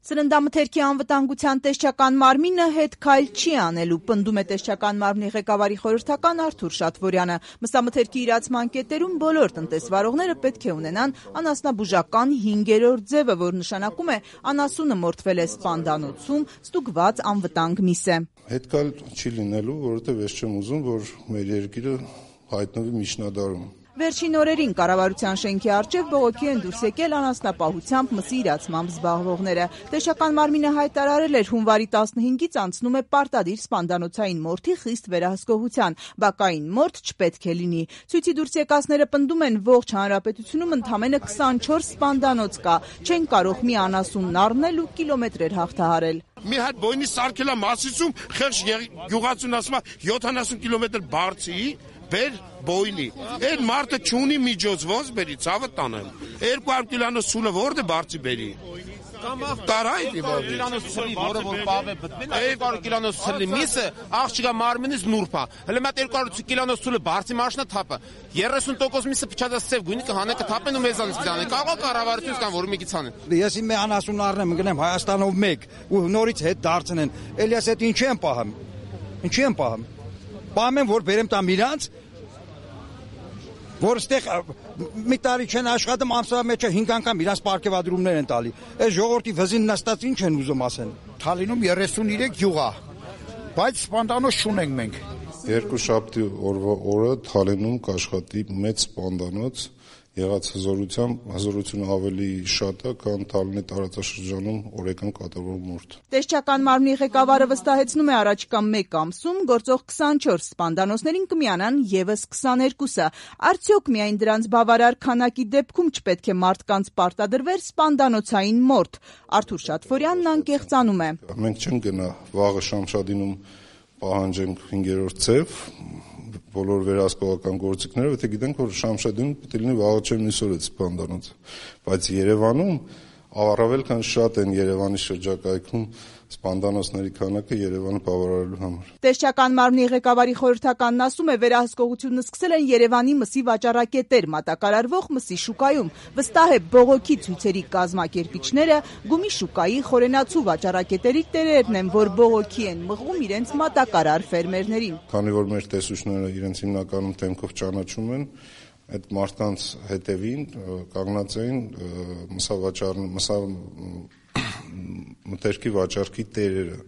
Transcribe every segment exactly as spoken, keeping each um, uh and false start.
Սննդամթերքի անվտանգության տեսչական մարմինը հետ քայլ չի անելու, պնդում է տեսչական մարմնի ղեկավարի խորհրդական Արթուր Շատվորյանը։ Մսամթերքի իրացման կետերում բոլոր տնտեսվարողները պետք է ունենան անասնաբուժական հինգերորդ ձևը, որ նշանակում է անասունը մորթվել է սպանդանոցում, ստուգված անվտանգ միս է։ Հետ քայլ չի լինելու, որովհետև ես չեմ ուզում, որ մեր երկիրը հայտնվի միջնադարում։ Վերջին օրերին կառավարության շենքի առջև բողոքի են դուրս եկել անասնապահությամբ մսի իրացմամբ զբաղվողները։ Տեսչական մարմինը հայտարարել էր հունվարի տասնհինգից անցնում է պարտադիր սպանդանոցային մորթի խիստ վերահսկողության, բակային մորթ չպետք է լինի։ Ցույցի դուրս եկածները պնդում են ողջ հանրապետությունում ընդամենը քսանչորս սպանդանոց կա, չեն կարող մի անասունն առնել ու կիլոմետրեր հաղթահարել։ Մի հատ բոյնի սարքելա Մասիսում խեղճ գյուղացուն ասում է յոթանասուն կիլոմետր բարձի բեր բոյնի։ Այդ մարդը չունի միջոց, ոնց բերի ցավը տանեմ։ երկու հարյուր կիլոնոց սուլը որտե բարձի բերի։ Տարայ կիլոնոց սուլի, որը որ պավե բտվել, երկու հարյուր կիլոնոց սուլի միսը աղջիկա մարմինից նուրբ է։ Հələ մատ երկու հարյուր կիլոնոց սուլը բարձի մաշնա թափը։ երեսուն տոկոս միսը փչած սև գույնի կհանը կթափեն ու մեզանից կզանեն։ Կարող կառավարությունից կամ որ մի քիչ անեն։ Ես իմ անասուն առնեմ, գնեմ Հայաստանով մեկ ու նորից հետ դարձնեն։ Էլիաս այդ ինչի են պահում։ Ինչի են պահում։ Պահում են որ բերեմ տամ իրանց որ ստեղ մի տարի չեն աշխատում, ամսվա մեջը հինգ անգամ իրանց պարգևադրումներ են տալի։ Այս ժողովրդի վզին նստած ինչ են ուզում ասեն։ Թալինում երեսուններեք գյուղ է, բայց սպանդանոց չունենք մենք։ Երկուշաբթի օրվա օրը Թալինում կաշխատի մեծ սպանդանոց, եղած հզորությամբ հզորությունը ավելի շատ է, քան Թալինի տարածաշրջանում օրեկան կատարվող մորթ։ Տեսչական մարմնի ղեկավարը վստահեցնում է առաջիկա մեկ ամսում գործող քսանչորս սպանդանոցներին կմիանան ևս քսաներկուսը։ Արդյոք միայն դրանց բավարար քանակի դեպքում չպետք է մարդկանց պարտադրվեր սպանդանոցային մորթ։ Արթուր Շատվորյանն անկեղծանում է։ Մենք չենք գնա վաղը Շամշադինում պահանջենք հինգերորդ ձև բոլոր վերահսկողական գործիքները, եթե գիտենք, որ Շամշադին պետք է լինի վաղը չեմ միսօր այդ սպանդանոց, բայց Երևանում առավել քան շատ են Երևանի շրջակայքում սպանդանոցների քանակը Երևանը բավարարելու համար։ Տեսչական մարմնի ղեկավարի խորհրդականն ասում է, վերահսկողությունը սկսել են Երևանի մսի վաճառակետեր մատակարարվող մսի շուկայում։ Վստահ է բողոքի ցույցերի կազմակերպիչները գումի շուկայի խորենացու վաճառակետերի տերերն են, որ բողոքի են մղում իրենց մատակարար ֆերմերներին։ Քանի որ մեր տեսուչները իրենց հիմնականում թեմքով ճանաչում են, այդ մարդկանց հետևին կանգնած էին մսավաճառ մսա մթերքի վաճառքի տերերը,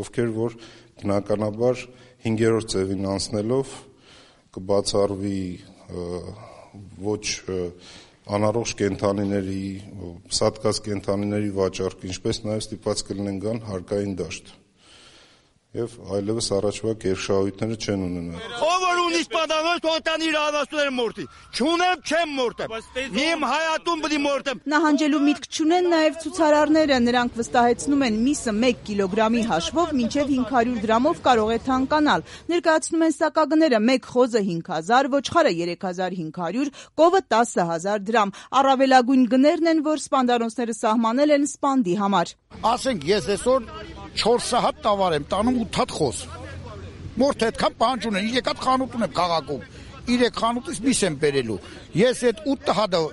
ովքեր որ բնականաբար հինգերորդ ձևին անցնելով կբացառվի ոչ անառողջ կենդանիների, սատկած կենդանիների վաճառք, ինչպես նաև ստիպված կլինեն գան հարկային դաշտ։ Եվ այլևս առաջվա կերշահույթները չեն ունենա։ Ով որ ունի սպանդանոց, թող տանի իր անասունները մորթի։ Չունեմ, չեմ մորթեմ։ Իմ հայատուն պիտի մորթեմ։ Նահանջելու միտք չունեն նաև ցուցարարները, նրանք վստահեցնում են միսը մեկ կիլոգրամի հաշվով մինչև հինգ հարյուր դրամով կարող է թանկանալ։ Ներկայացնում են սակագները մեկ խոզը հինգ հազար, ոչխարը երեք հազար հինգ հարյուր, կովը տասը հազար դրամ։ Առավելագույն գներն են, որ սպանդանոցները սահմանել են սպանդի համար։ Ասենք ես այսօր չորս հատ տավար եմ տանում ութ հատ խոզ։ Մորթ այդքան պահանջ ունեն, երեք հատ խանութ ունեմ քաղաքում։ Երեք խանութից միս եմ բերելու։ Ես այդ ութ հատը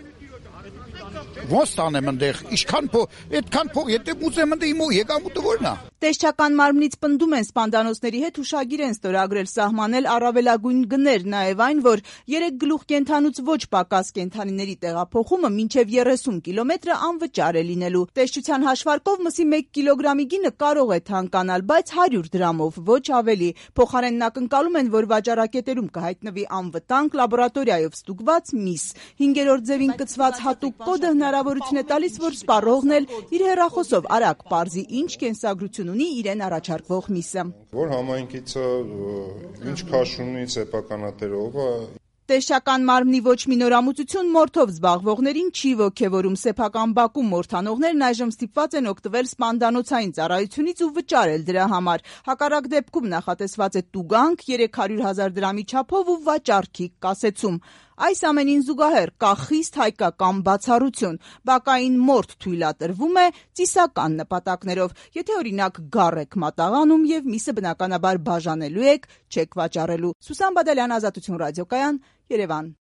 ոնց տանեմ այնտեղ, ինչքան փող, այդքան փող, եթե ուզեմ այնտեղ իմ եկամուտը որն է։ Տեսչական մարմնից պնդում են սպանդանոցների հետ հուշագիր են ստորագրել սահմանել առավելագույն գներ, նաև այն, որ երեք գլուխ կենդանուց ոչ պակաս կենդանիների տեղափոխումը մինչև երեսուն կիլոմետրը անվճար է լինելու։ Տեսչության հաշվարկով մսի մեկ կիլոգրամի գինը կարող է թանկանալ, բայց հարյուր դրամով, ոչ ավելի։ Փոխարենն ակնկալում են, որ վաճառակետերում կհայտնվի անվտանգ լաբորատորիայով ստուգված միս։ Հինգերորդ ձևին կցված հատուկ կոդը հնարավորություն է տալիս, որ սպառողն էլ իր հեռախոսով արագ պարզի ինչ կենսագրություն ունի իրեն առաջարկվող միսը։ Որ համայնքից ինչ քաշ ունի, սեփականատերով է։ Տեսչական մարմնի ոչ մի նորամուծություն մորթով զբաղվողներին չի ոգևորում։ Սեփական բակում մորթանողներն այժմ ստիպված են օգտվել սպանդանոցային ծառայությունից ու վճարել դրա համար։ Հակառակ դեպքում նախատեսված է տուգանք երեք հարյուր հազար դրամի չափով ու վաճառքի կասեցում։ Այս ամենին զուգահեռ կա խիստ հայկական բացառություն։ Բակային մորթ թույլատրվում է ծիսական նպատակներով։ Եթե օրինակ գառ եք մատաղանում եւ միսը բնականաբար բաժանելու եք, չեք վաճառելու։ Սուսան Բադալյան, Ազատություն ռադիոկայան, Երևան։